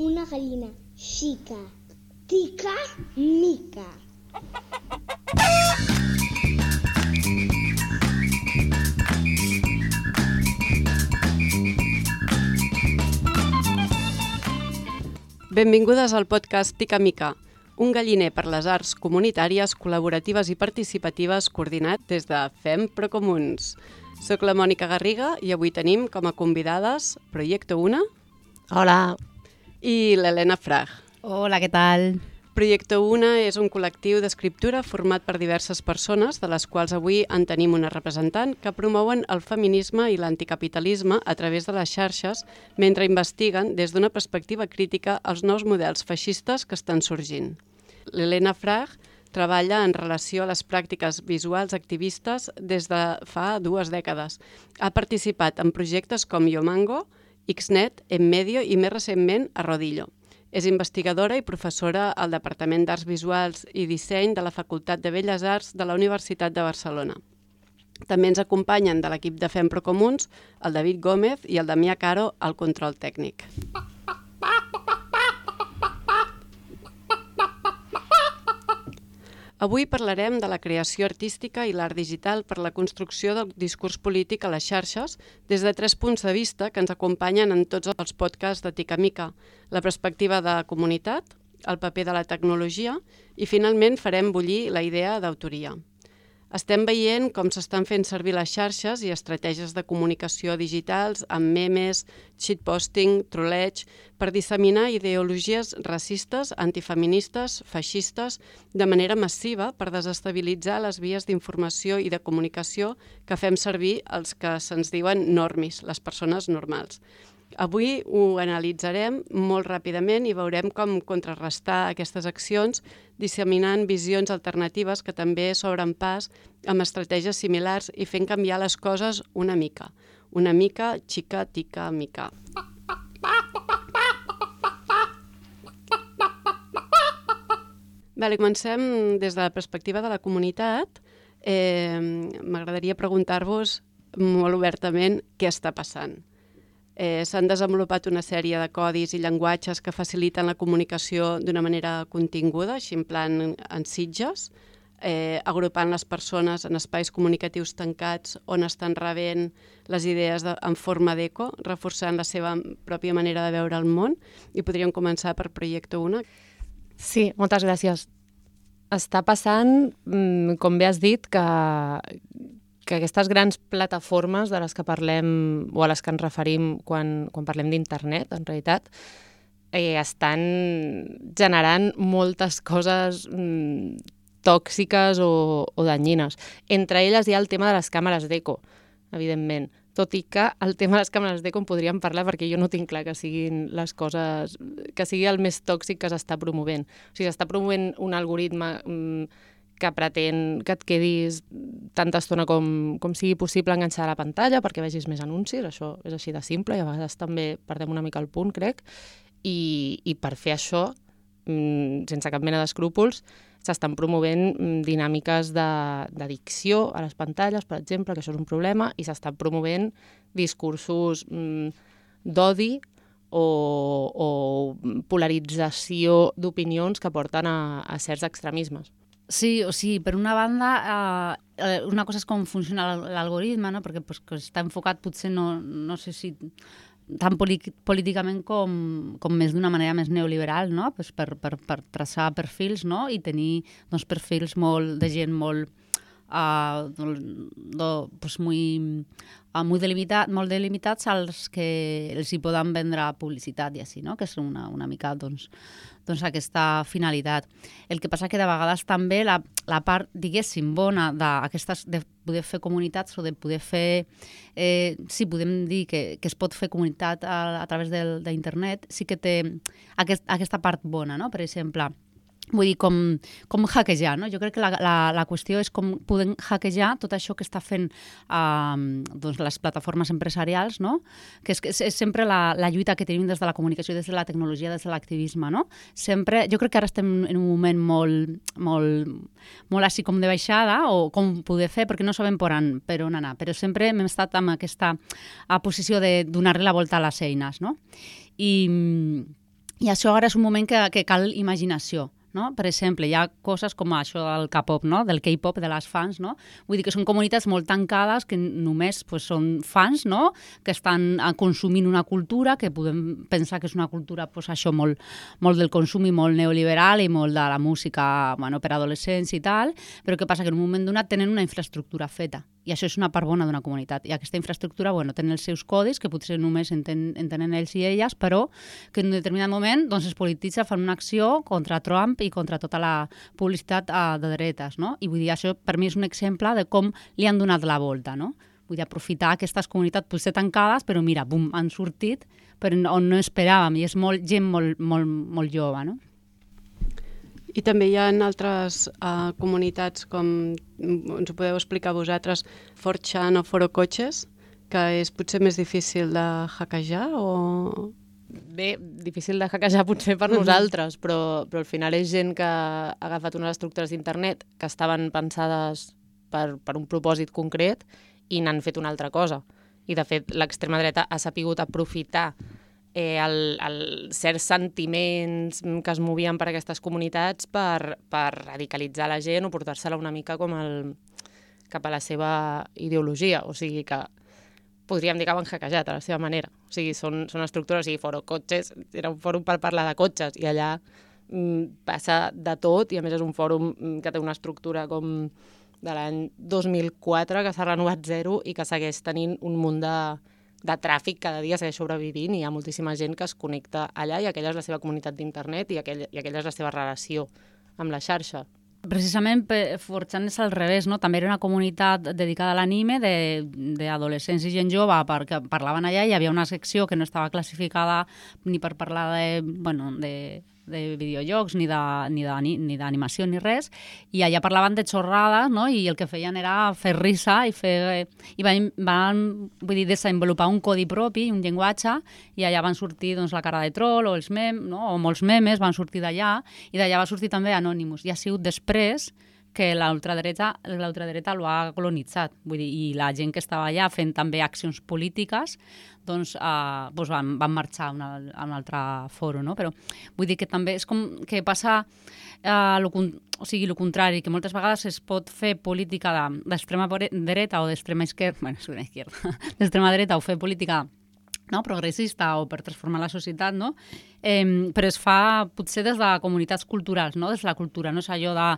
Una gallina xica, tica, mica. Benvingudes al podcast Tica Mica, un galliner per les arts comunitàries, col·laboratives i participatives coordinat des de FEM Procomuns. Soc la Mònica Garriga i avui tenim com a convidades Proyecto Una. Hola. I l'Helena Frag. Hola, què tal? Proyecto Una és un col·lectiu d'escriptura format per diverses persones, de les quals avui en tenim una representant, que promouen el feminisme i l'anticapitalisme a través de les xarxes mentre investiguen des d'una perspectiva crítica els nous models feixistes que estan sorgint. L'Helena Frag treballa en relació a les pràctiques visuals activistes des de fa 2 dècades. Ha participat en projectes com Yomango, Xnet, Enmedio i més recentment a Rodillo. És investigadora i professora al Departament d'Arts Visuals i Disseny de la Facultat de Belles Arts de la Universitat de Barcelona. També ens acompanyen de l'equip de FEM Procomuns el David Gómez i el Damià Caro al control tècnic. Avui parlarem de la creació artística i l'art digital per la construcció del discurs polític a les xarxes des de 3 punts de vista que ens acompanyen en tots els podcasts de Tica Mica, la perspectiva de comunitat, el paper de la tecnologia i finalment farem bullir la idea d'autoria. Estem veient com s'estan fent servir les xarxes i estratègies de comunicació digitals amb memes, shitposting, troleig, per disseminar ideologies racistes, antifeministes, feixistes, de manera massiva per desestabilitzar les vies d'informació i de comunicació que fem servir els que se'ns diuen normis, les persones normals. Avui ho analitzarem molt ràpidament i veurem com contrarrestar aquestes accions disseminant visions alternatives que també s'obren pas amb estratègies similars i fent canviar les coses una mica, xica, tica, mica. Comencem des de la perspectiva de la comunitat. M'agradaria preguntar-vos molt obertament què està passant. S'han desenvolupat una sèrie de codis i llenguatges que faciliten la comunicació d'una manera continguda, així en plan en sitges, agrupant les persones en espais comunicatius tancats on estan rebent les idees en forma d'eco, reforçant la seva pròpia manera de veure el món. I podríem començar per Proyecto Una. Sí, moltes gràcies. Està passant, com bé has dit, que aquestes grans plataformes de les que parlem o a les que ens referim quan parlem d'internet, en realitat, estan generant moltes coses tòxiques o danyines. Entre elles hi ha el tema de les càmeres d'eco, evidentment. Tot i que el tema de les càmeres d'eco en podríem parlar perquè jo no tinc clar que siguin les coses, que sigui el més tòxic que s'està promovent. O sigui, s'està promovent un algoritme que pretén que et quedis tanta estona com sigui possible enganxada a la pantalla perquè vegis més anuncis, això és així de simple i a vegades també perdem una mica el punt, crec, i per fer això, sense cap mena d'escrúpols, s'estan promovent dinàmiques d'addicció a les pantalles, per exemple, que això és un problema, i s'estan promovent discursos d'odi o polarització d'opinions que porten a certs extremismes. Sí, o sigui, per una banda, una cosa és com funciona l'algoritme, no? Perquè que està enfocat potser no sé si tan políticament com més d'una manera més neoliberal, no? Pues per traçar perfils, no? I tenir perfils de gent molt molt delimitats als que els hi poden vendre publicitat i així, no? Que és una mica aquesta finalitat. El que passa que de vegades també la part, diguéssim, bona de poder fer comunitats o de poder fer, sí, podem dir que es pot fer comunitat a través d'internet, sí que té aquesta part bona, no? Per exemple, vull dir, com hackejar, no? Jo crec que la qüestió és com podem hackejar tot això que està fent les plataformes empresarials, no? Que és sempre la lluita que tenim des de la comunicació, des de la tecnologia, des de l'activisme, no? Sempre, jo crec que ara estem en un moment molt així com de baixada, o com poder fer, perquè no sabem per on anar, però sempre hem estat amb aquesta posició de donar-li la volta a les eines, no? I això ara és un moment que cal imaginació. No? Per exemple, hi ha coses com això del K-pop, no? Del K-pop, de les fans, no? Vull dir que són comunitats molt tancades que només pues, són fans, no? Que estan consumint una cultura que podem pensar que és una cultura pues, això molt del consum i molt neoliberal i molt de la música per adolescents i tal, però què passa? Que en un moment donat tenen una infraestructura feta i això és una part bona d'una comunitat. I aquesta infraestructura tenen els seus codis, que potser només entenen ells i elles, però que en un determinat moment es polititza, fan una acció contra Trump i contra tota la publicitat de dretes. No? I vull dir, això per mi és un exemple de com li han donat la volta. No? Vull dir, aprofitar aquestes comunitats potser tancades, però mira, bum, han sortit per on no esperàvem, i és gent molt jove, no? I també hi ha altres comunitats, com ens ho podeu explicar vosaltres, 4chan o Forocoches, que és potser més difícil de hackejar o... Bé, difícil de hackejar potser per nosaltres, però al final és gent que ha agafat unes estructures d'internet que estaven pensades per un propòsit concret i n'han fet una altra cosa. I, de fet, l'extrema dreta ha sapigut aprofitar certs sentiments que es movien per aquestes comunitats per radicalitzar la gent o portar-se-la una mica cap a la seva ideologia. O sigui que podríem dir que ho han hackejat a la seva manera. O sigui, són estructures, o sigui, Forocoches era un fòrum per parlar de cotxes i allà passa de tot i a més és un fòrum que té una estructura com de l'any 2004 que s'ha renovat zero i que segueix tenint un munt de tràfic cada dia, segueix sobrevivint i hi ha moltíssima gent que es connecta allà i aquella és la seva comunitat d'internet i aquella és la seva relació amb la xarxa. Precisament 4chan és al revés, no? També era una comunitat dedicada a l'anime d'adolescents i gent jove perquè parlaven allà i hi havia una secció que no estava classificada ni per parlar de videojocs, ni d'animació, ni res, i allà parlaven de xorrades, no? I el que feien era fer risa i van desenvolupar un codi propi, un llenguatge, i allà van sortir la cara de troll o els memes, no? O molts memes van sortir d'allà, i d'allà va sortir també Anonymous, i ha sigut després que l'ultradreta l'ho ha colonitzat. Vull dir, i la gent que estava allà fent també accions polítiques van marxar a un altre foro. No? Però vull dir que també és com que passa el contrari, que moltes vegades es pot fer política d'extrema dreta o d'extrema esquerra, d'extrema dreta o fer política progressista o per transformar la societat, no? Però es fa potser des de comunitats culturals, no? Des de la cultura, no és allò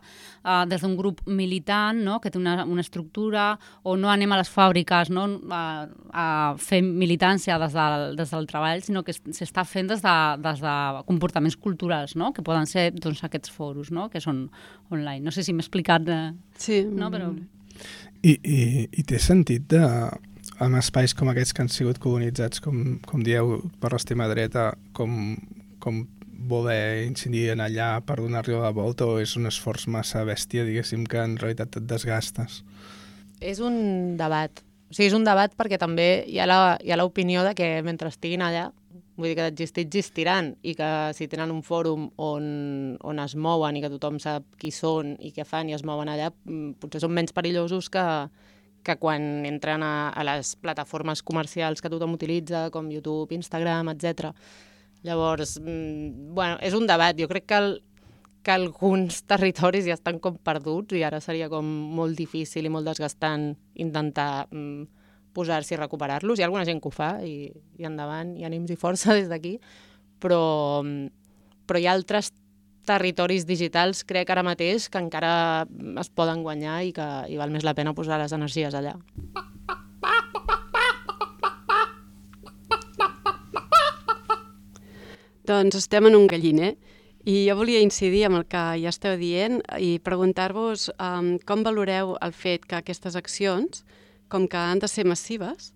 des d'un grup militant, no? Que té una estructura, o no anem a les fàbriques, no? A fer militància des del treball, sinó que s'està fent des de comportaments culturals, no? Que poden ser aquests foros, no? Que són online. No sé si m'he explicat. Sí. No? Però... I té sentit amb espais com aquests que han sigut colonitzats, com dieu, per l'extrema dreta, com voler incidir en allà per donar-li la volta, o és un esforç massa bèstia, diguéssim, que en realitat et desgastes? És un debat. O sigui, és un debat perquè també hi ha l'opinió de que mentre estiguin allà, vull dir que d'existir existiran, i que si tenen un fòrum on es mouen i que tothom sap qui són i què fan i es mouen allà, potser són menys perillosos que quan entren a les plataformes comercials que tothom utilitza, com YouTube, Instagram, etc. Llavors, és un debat. Jo crec que alguns territoris ja estan com perduts i ara seria com molt difícil i molt desgastant intentar posar-s'hi i recuperar-los. Hi ha alguna gent que ho fa i endavant, i ànims i força des d'aquí, però hi ha altres territoris digitals, crec ara mateix, que encara es poden guanyar i que val més la pena posar les energies allà. Doncs estem en un galliner i jo volia incidir amb el que ja esteu dient i preguntar-vos com valoreu el fet que aquestes accions, com que han de ser massives,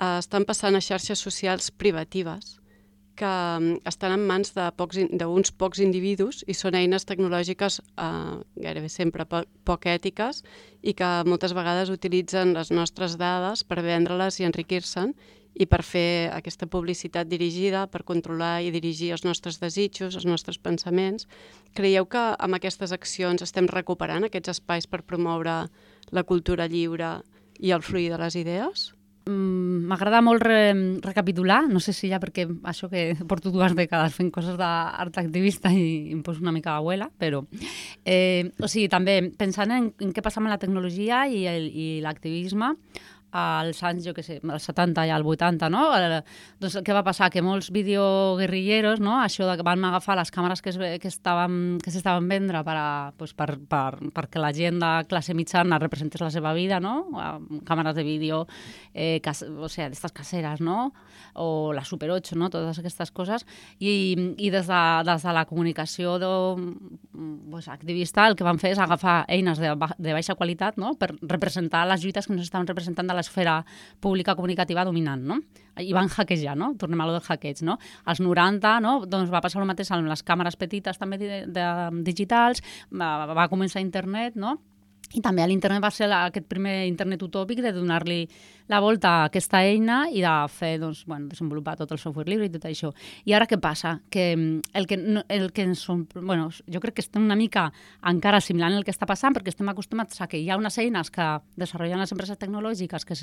estan passant a xarxes socials privatives que estan en mans d'uns pocs individus i són eines tecnològiques gairebé sempre poc ètiques i que moltes vegades utilitzen les nostres dades per vendre-les i enriquir-se'n i per fer aquesta publicitat dirigida, per controlar i dirigir els nostres desitjos, els nostres pensaments. Creieu que amb aquestes accions estem recuperant aquests espais per promoure la cultura lliure i el fluir de les idees? m'agrada molt recapitular, no sé si ja perquè això que porto 2 dècades fent coses d'art activista i em poso una mica abuela, però o sigui, també pensant en què passa amb la tecnologia i l'activisme als anys, jo què sé, als 70 i al 80, no? Doncs què va passar? Que molts videoguerrilleros, no? Això de que van agafar les càmeres que s'estaven vendre perquè la gent de classe mitjana representés la seva vida, no? Càmeres de vídeo, o sigui, d'estes caseres, no? O la Super 8, no? Totes aquestes coses. I des de la comunicació activista el que van fer és agafar eines de baixa qualitat, no? Per representar les lluites que no s'estaven representant de l'esfera pública comunicativa dominant, no? I van hackejar, no? Tornem a lo del hackeig, no? Als 90, no? Doncs va passar el mateix amb les càmeres petites també digitals, va començar internet, no? I també a l'internet va ser aquest primer internet utòpic de donar-li la volta a aquesta eina i de fer, doncs, desenvolupar tot el software lliure i tot això. I ara què passa? Que jo crec que estem una mica encara assimilant el que està passant, perquè estem acostumats a que hi ha unes eines que desenvolupen les empreses tecnològiques que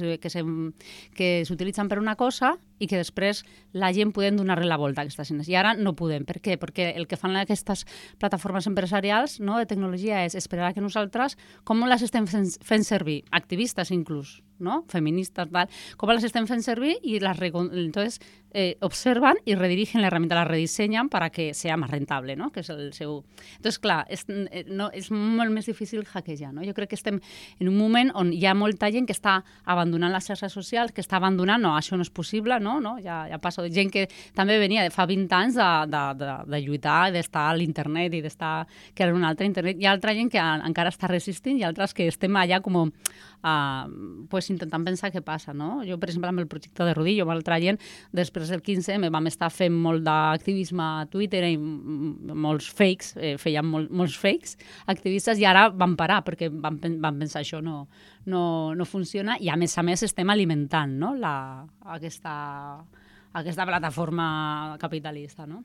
s'utilitzen per una cosa i que després la gent podem donar-li la volta a aquestes eines. I ara no podem. Per què? Perquè el que fan aquestes plataformes empresarials, no, de tecnologia és esperar que nosaltres, com les estem fent servir, activistes inclús, ¿no? Feministas, tal, com les estem fent servir i entonces observan y redirigen la herramienta, la rediseñan para que sea más rentable, ¿no? Que és el seu... Entonces, clar, és molt més difícil hackejar, no? Jo crec que estem en un moment on hi ha molta gent que està abandonant les xarxes socials, que està abandonant, no, això no és possible, no? Ja passa de gent que també venia de fa 20 anys de lluitar, d'estar a l'internet i d'estar que era un altre internet. Hi ha altra gent que encara està resistint i altres que estem allà com intentant pensar què passa, no? Jo, per exemple, amb el projecte de Rodillo, amb l'altra gent, després del 15M vam estar fent molt d'activisme a Twitter i molts fakes, fèiem molts fakes activistes i ara vam parar perquè vam pensar això no funciona i a més estem alimentant, no? aquesta plataforma capitalista, no?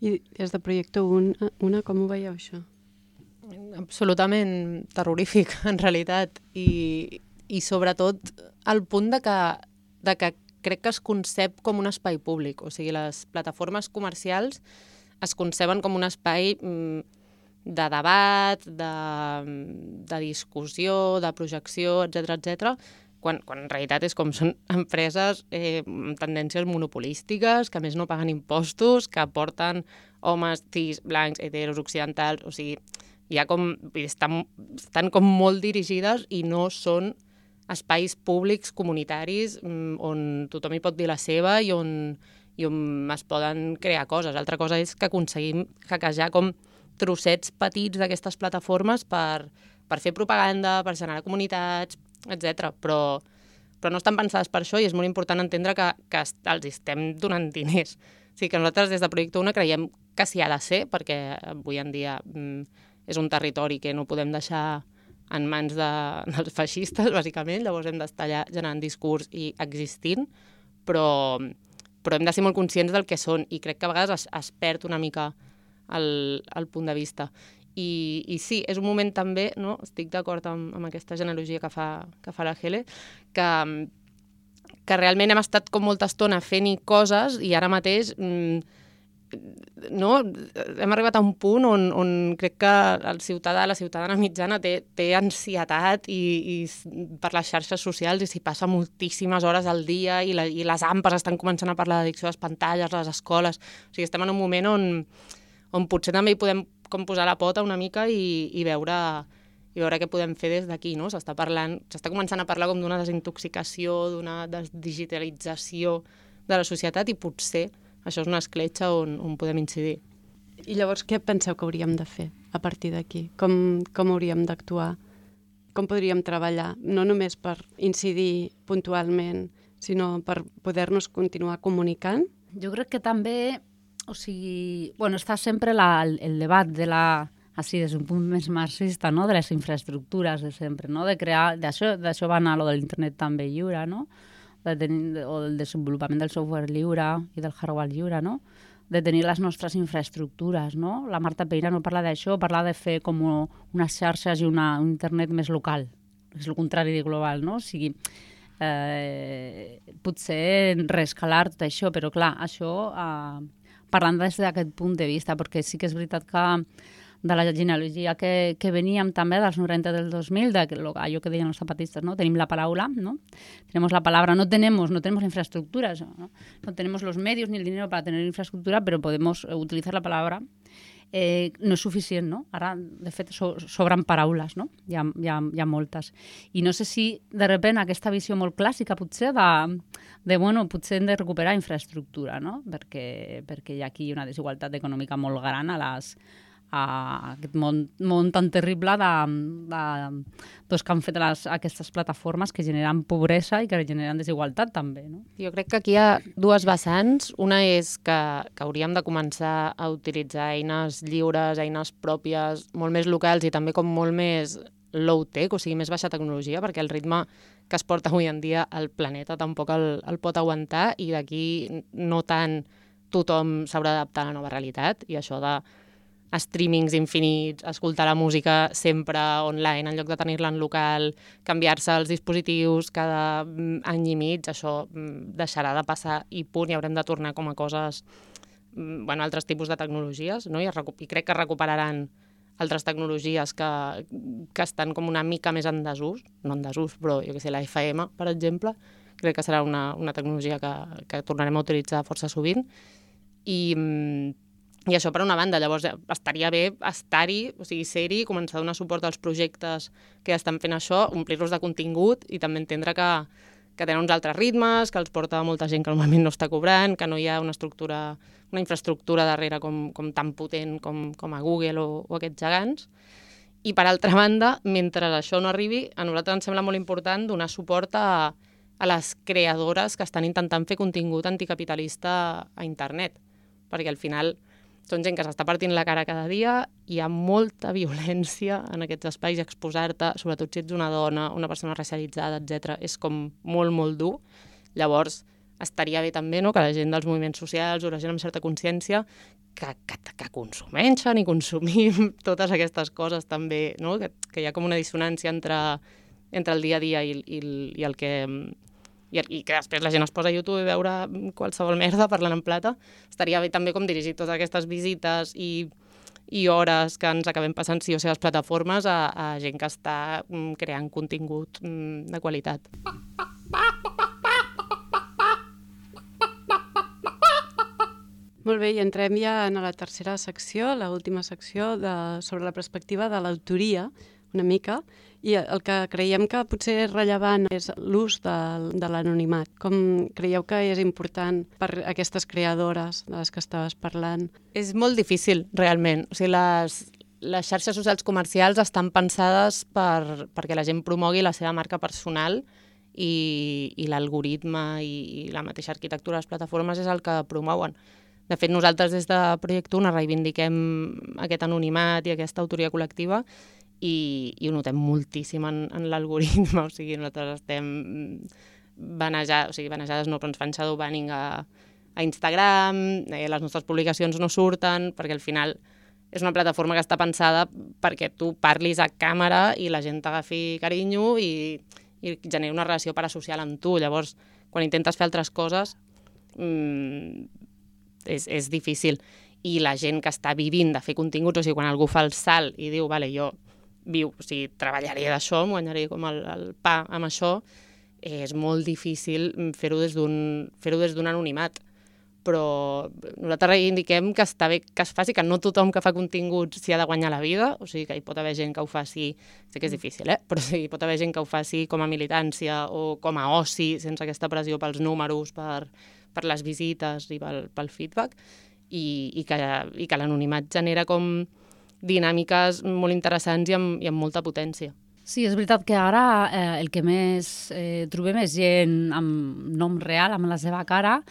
I des de Projecte Una, com ho veieu, això? Absolutament terrorífic, en realitat, i sobretot al punt de que crec que es concep com un espai públic, o sigui, les plataformes comercials es conceben com un espai de debat, de discussió, de projecció, etc, quan en realitat és com són empreses amb tendències monopolístiques, que a més no paguen impostos, que porten homes, cis, blancs, heteros, occidentals, o sigui, estan com molt dirigides i no són espais públics, comunitaris, on tothom hi pot dir la seva i on es poden crear coses. Altra cosa és que aconseguim hackejar com trossets petits d'aquestes plataformes per fer propaganda, per generar comunitats, etc. Però no estan pensades per això i és molt important entendre que els estem donant diners. O sigui que nosaltres des de Projecte Una creiem que s'hi ha de ser, perquè avui en dia és un territori que no podem deixar en mans dels feixistes, bàsicament, llavors hem d'estar allà generant discurs i existint, però hem de ser molt conscients del que són i crec que a vegades es perd una mica el punt de vista. I sí, és un moment també, no? Estic d'acord amb aquesta genealogia que fa la Hele, que realment hem estat com molta estona fent-hi coses i ara mateix hem arribat a un punt on crec que el ciutadà, la ciutadana mitjana té ansietat i per les xarxes socials i s'hi passa moltíssimes hores al dia i les AMPAs estan començant a parlar d'addicció a les pantalles, a les escoles. O sigui, estem en un moment on potser també hi podem com posar la pota una mica i veure què podem fer des d'aquí, no? S'està començant a parlar com d'una desintoxicació, d'una desdigitalització de la societat i potser això és una escletxa on podem incidir. I llavors què penseu que hauríem de fer a partir d'aquí? Com hauríem d'actuar? Com podríem treballar? No només per incidir puntualment, sinó per poder-nos continuar comunicant? Jo crec que també, o sigui, està sempre el debat de així des d'un punt més marxista, no? De les infraestructures de sempre, no? De crear, d'això va anar lo de l'internet també lliure, no? O del desenvolupament del software lliure i del hardware lliure, no? De tenir les nostres infraestructures, no? La Marta Peirà no parla d'això, parla de fer com unes xarxes i un internet més local, és el contrari de global, no? O sigui, potser reescalar tot això, però clar, això parlant des d'aquest punt de vista, perquè sí que és veritat que de la genealogia que veníem també dels 90 del 2000, allò que deien els zapatistas, ¿no? Tenim la paraula, ¿no? Tenemos la palabra, no tenemos infraestructuras, ¿no? No tenemos los medios ni el dinero para tener infraestructura, pero podemos utilizar la palabra. No és suficient, no? Ara, de fet, sobren paraules, no? Hi ha moltes. I no sé si, de repente, aquesta visió molt clàssica, potser, bueno, potser hem de recuperar infraestructura, no? Perquè hi ha aquí una desigualtat econòmica molt gran a aquest món tan terrible que han fet aquestes plataformes que generen pobresa i que generen desigualtat també, no? Jo crec que aquí hi ha dues vessants. Una és que hauríem de començar a utilitzar eines lliures, eines pròpies, molt més locals i també com molt més low-tech, o sigui, més baixa tecnologia, perquè el ritme que es porta avui en dia al planeta tampoc el pot aguantar i d'aquí no tant tothom s'haurà d'adaptar a la nova realitat i això de streamings infinits, escoltar la música sempre online en lloc de tenir-la en local, canviar-se els dispositius cada any i mig, això deixarà de passar i punt, i haurem de tornar com a coses, altres tipus de tecnologies, no? I crec que recuperaran altres tecnologies que estan com una mica més en desús, no en desús, però jo què sé, la FM, per exemple, crec que serà una tecnologia que tornarem a utilitzar força sovint, i això per una banda, llavors estaria bé estar-hi, o sigui, ser-hi, començar a donar suport als projectes que estan fent això, omplir-los de contingut i també entendre que tenen uns altres ritmes, que els porta molta gent que normalment no està cobrant, que no hi ha una infraestructura darrere com tan potent com a Google o aquests gegants. I per altra banda, mentre això no arribi, a nosaltres ens sembla molt important donar suport a les creadores que estan intentant fer contingut anticapitalista a internet, perquè al final són gent que s'està partint la cara cada dia, hi ha molta violència en aquests espais, exposar-te, sobretot si ets una dona, una persona racialitzada, etc. És com molt, molt dur. Llavors, estaria bé també, no?, que la gent dels moviments socials o la gent amb certa consciència que consumeixen i consumim totes aquestes coses també, no?, que hi ha com una dissonància entre el dia a dia i el que... i que després la gent es posa a YouTube i veure qualsevol merda parlant en plata, estaria bé també com dirigir totes aquestes visites i hores que ens acabem passant sí o sí a les plataformes a gent que està creant contingut de qualitat. Molt bé, i entrem ja en la tercera secció, l'última secció sobre la perspectiva de l'autoria, una mica, i el que creiem que potser és rellevant és l'ús de l'anonimat. Com creieu que és important per aquestes creadores de les que estaves parlant? És molt difícil, realment. O sigui, les xarxes socials comercials estan pensades perquè la gent promogui la seva marca personal i l'algoritme i la mateixa arquitectura de les plataformes és el que promouen. De fet, nosaltres des de Project Una reivindiquem aquest anonimat i aquesta autoria col·lectiva i ho notem moltíssim en l'algoritme, o sigui, nosaltres estem vanejades no, però ens fan shadow banning a Instagram, les nostres publicacions no surten, perquè al final és una plataforma que està pensada perquè tu parlis a càmera i la gent t'agafi carinyo i generi una relació parasocial amb tu. Llavors, quan intentes fer altres coses, és difícil. I la gent que està vivint de fer continguts, o sigui, quan algú fa el salt i diu, vale, jo treballaré d'això, em guanyaré com el pa amb això, és molt difícil fer-ho des d'un anonimat. Però nosaltres reivindiquem que està bé que es faci, que no tothom que fa continguts s'hi ha de guanyar la vida, o sigui que hi pot haver gent que ho faci, sé que és difícil, però sí, hi pot haver gent que ho faci com a militància o com a oci, sense aquesta pressió pels números, per les visites i pel feedback, i que l'anonimat genera com dinàmiques molt interessants i amb molta potència. Sí, és veritat que ara el que més trobem és gent amb nom real, amb la seva cara,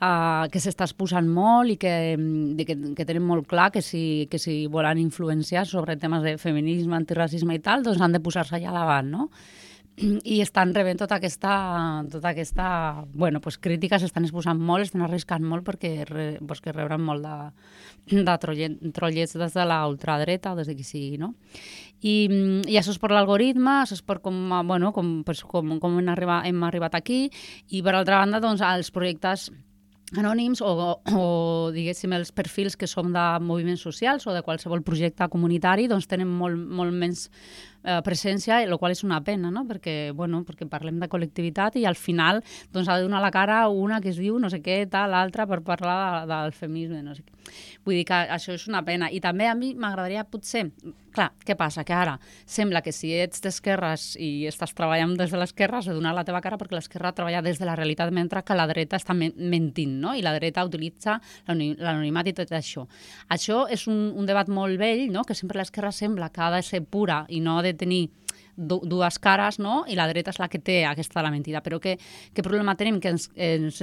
que s'està exposant molt i que tenen molt clar que si volen influenciar sobre temes de feminisme, antiracisme i tal, doncs han de posar-se allà davant, no? i estan rebent tota aquesta bueno, pues, crítica, s'estan exposant molt, estan arriscant molt perquè rebran molt de trollets des de la ultradreta o des de qui sigui, no? I això és per l'algoritme, això és per com hem arribat aquí, i per altra banda, doncs, els projectes anònims o diguéssim, els perfils que som de moviments socials o de qualsevol projecte comunitari, doncs tenen molt menys presència, el qual és una pena, no? Perquè parlem de col·lectivitat i al final doncs, ha de donar la cara una que es diu no sé què, l'altra per parlar del feminisme, no sé què. Vull dir que això és una pena. I també a mi m'agradaria potser... Clar, què passa? Que ara sembla que si ets d'esquerres i estàs treballant des de l'esquerra has de donar la teva cara perquè l'esquerra treballa des de la realitat mentre que la dreta està mentint, no? I la dreta utilitza l'anonimat i tot això. Això és un debat molt vell, no? Que sempre l'esquerra sembla que ha de ser pura i no ha de tenir dues cares, no? I la dreta és la que té aquesta la mentida. Però què problema tenim? Que ens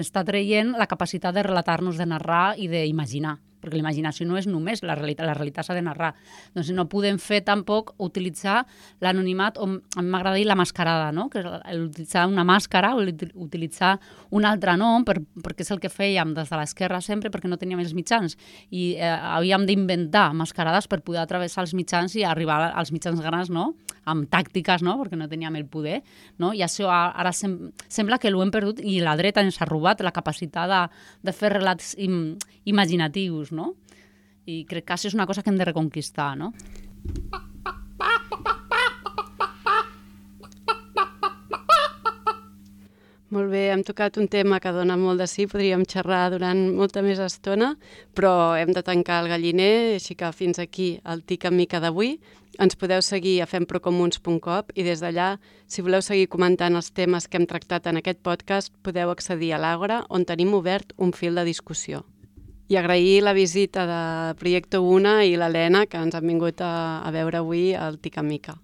està traient la capacitat de relatar-nos, de narrar i d'imaginar. Perquè la imaginació no és només la realitat s'ha de narrar. Doncs no podem fer tampoc utilitzar l'anonimat, o a mi m'agrada dir la mascarada, no? Que és utilitzar una màscara o utilitzar un altre nom, perquè és el que fèiem des de l'esquerra sempre, perquè no teníem els mitjans. I havíem d'inventar mascarades per poder atravessar els mitjans i arribar als mitjans grans, no? Amb tàctiques, no? Perquè no teníem el poder, no? I això ara sembla que l'ho hem perdut i la dreta ens ha robat la capacitat de fer relats imaginatius, no? I crec que això és una cosa que hem de reconquistar, no? Molt bé, hem tocat un tema que dona molt de sí, podríem xerrar durant molta més estona, però hem de tancar el galliner, així que fins aquí el Tica Mica d'avui. Ens podeu seguir a femprocomuns.com i des d'allà, si voleu seguir comentant els temes que hem tractat en aquest podcast, podeu accedir a l'Àgora, on tenim obert un fil de discussió. I agrair la visita de Projecte Una i l'Helena, que ens han vingut a veure avui al Tica Mica.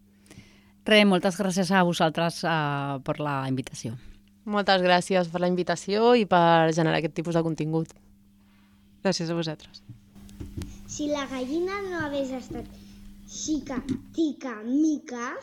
Moltes gràcies a vosaltres per la invitació. Moltes gràcies per la invitació i per generar aquest tipus de contingut. Gràcies a vosaltres. Si la gallina no hagués estat xica, tica, mica...